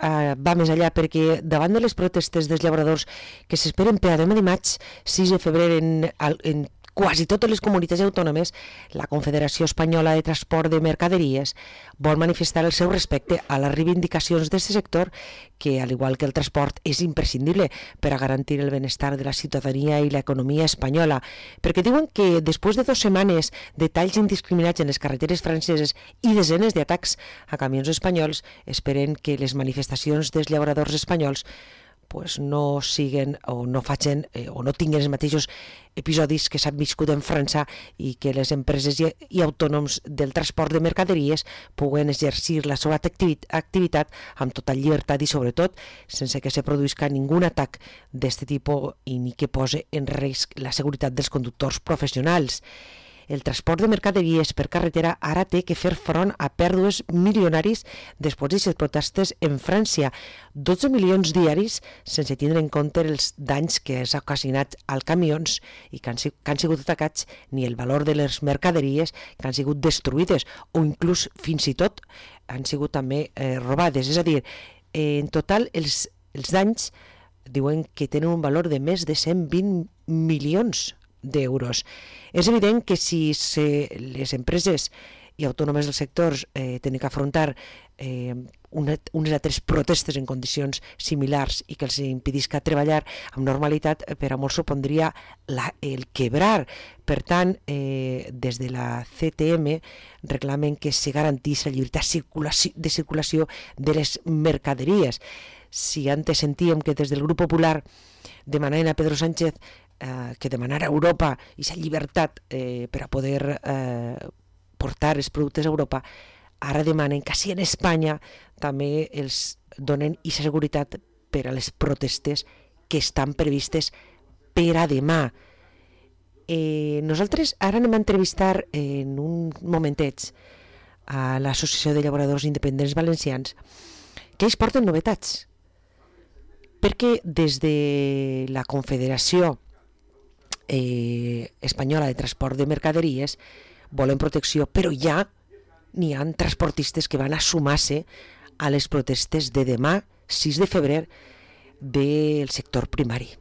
va més enllà, perquè davant de les protestes dels llauradors que s'esperen per a demà dimarts 6 de febrer en quasi totes les comunitats autònomes, la Confederació Espanyola de Transport de Mercaderies vol manifestar el seu respecte a les reivindicacions d'aquest sector que, al igual que el transport, és imprescindible per a garantir el benestar de la ciutadania i l'economia espanyola, perquè diuen que després de 2 setmanes de talls indiscriminats en les carreteres franceses i desenes d'atacs a camions espanyols, esperen que les manifestacions dels llauradors espanyols no siguen o no facin o no tinguin els mateixos episodis que s'han viscut en França i que les empreses i autònoms del transport de mercaderies puguen exercir la seva activitat amb tota llibertat i sobretot sense que se produïsca ningun atac d'aquest tipus i ni que pose en risc la seguretat dels conductors professionals. El transport de mercaderies per carretera ara té que fer front a pèrdues milionaris després d'aquestes protestes en França, 12 milions diaris sense tindre en compte els danys que s'ha ocasionat als camions i que han sigut atacats, ni el valor de les mercaderies que han sigut destruïdes o inclús fins i tot han sigut també robades. És a dir, en total els danys diuen que tenen un valor de més de 120 milions d'euros. És evident que si les empreses i autònomes del sector tenen que afrontar unes altres protestes en condicions similars i que els impedisca treballar amb normalitat, per a molts supondria el quebrar. Per tant, des de la CTM reclamen que se garantís la llibertat de circulació de les mercaderies. Si antes sentíem que des del grup popular demanaven a Pedro Sánchez que demanara a Europa aquesta llibertat per a poder portar els productes a Europa, ara demanen que si en Espanya també els donen aquesta seguretat per a les protestes que estan previstes per a demà. Nosaltres ara anem a entrevistar en un momentet a l'Associació de Llauradors Independents Valencians que ells porten novetats, perquè des de la Confederació Espanyola de Transport de Mercaderies volen protecció, però ja n'hi ha transportistes que van a sumar-se a les protestes de demà 6 de febrer del sector primari.